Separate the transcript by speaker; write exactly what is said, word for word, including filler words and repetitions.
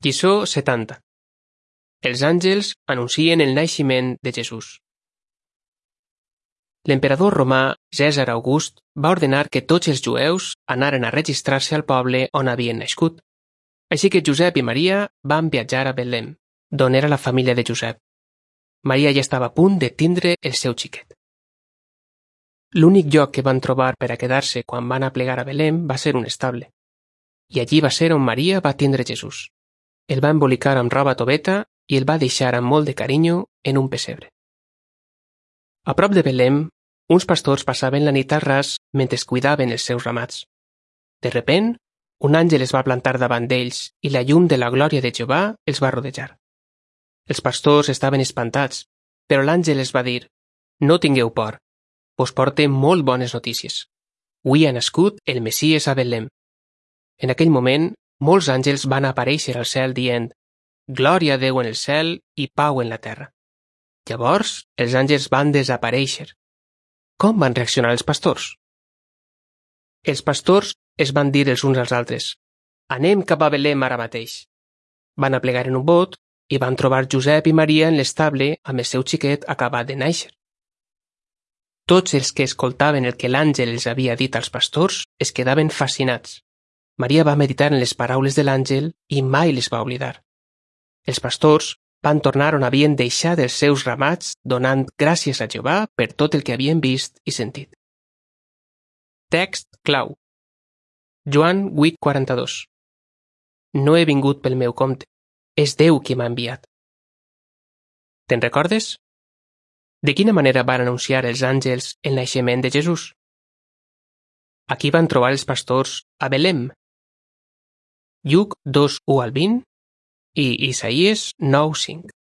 Speaker 1: Lliçó setanta. Els àngels anuncien el naixement de Jesús. L'emperador romà Cèsar August va ordenar que tots els jueus anaren a registrar-se al poble on havien nascut. Així que Josep i Maria van viatjar a Betlem, d'on era la família de Josep. Maria ja estava a punt de tindre el seu xiquet. L'únic lloc que van trobar per a quedar-se quan van aplegar a Belém va ser un estable. I allí va ser on Maria va tindre Jesús. El va embolicar amb roba toveta i el va deixar amb molt de carinyo en un pessebre. A prop de Belém, uns pastors passaven la nit al ras mentre cuidaven els seus ramats. De repent, un àngel es va plantar davant d'ells i la llum de la glòria de Jehovà els va rodejar. Els pastors estaven espantats, però l'àngel els va dir: «No tingueu por, us porte molt bones notícies. Avui ha nascut el Messies a Betlem». En aquell moment, molts àngels van aparèixer al cel dient: «Glòria a Déu en el cel i pau en la terra». Llavors, els àngels van desaparèixer. Com van reaccionar els pastors? Els pastors es van dir els uns als altres: «Anem cap a Betlem ara mateix». Van aplegar en un bot i van trobar Josep i Maria en l'estable amb el seu xiquet acabat de néixer. Tots els que escoltaven el que l'àngel els havia dit als pastors es quedaven fascinats. Maria va meditar en les paraules de l'àngel i mai les va oblidar. Els pastors van tornar on havien deixat els seus ramats donant gràcies a Jehovà per tot el que havien vist i sentit. Text clau. Joan vuit quaranta-dos. No he vingut pel meu compte, és Déu qui m'ha enviat. Te'n recordes? De quina manera van anunciar els àngels el naixement de Jesús? Aquí van trobar els pastors a Belém. Lluc dos u al vint i Isaïes nou cinc.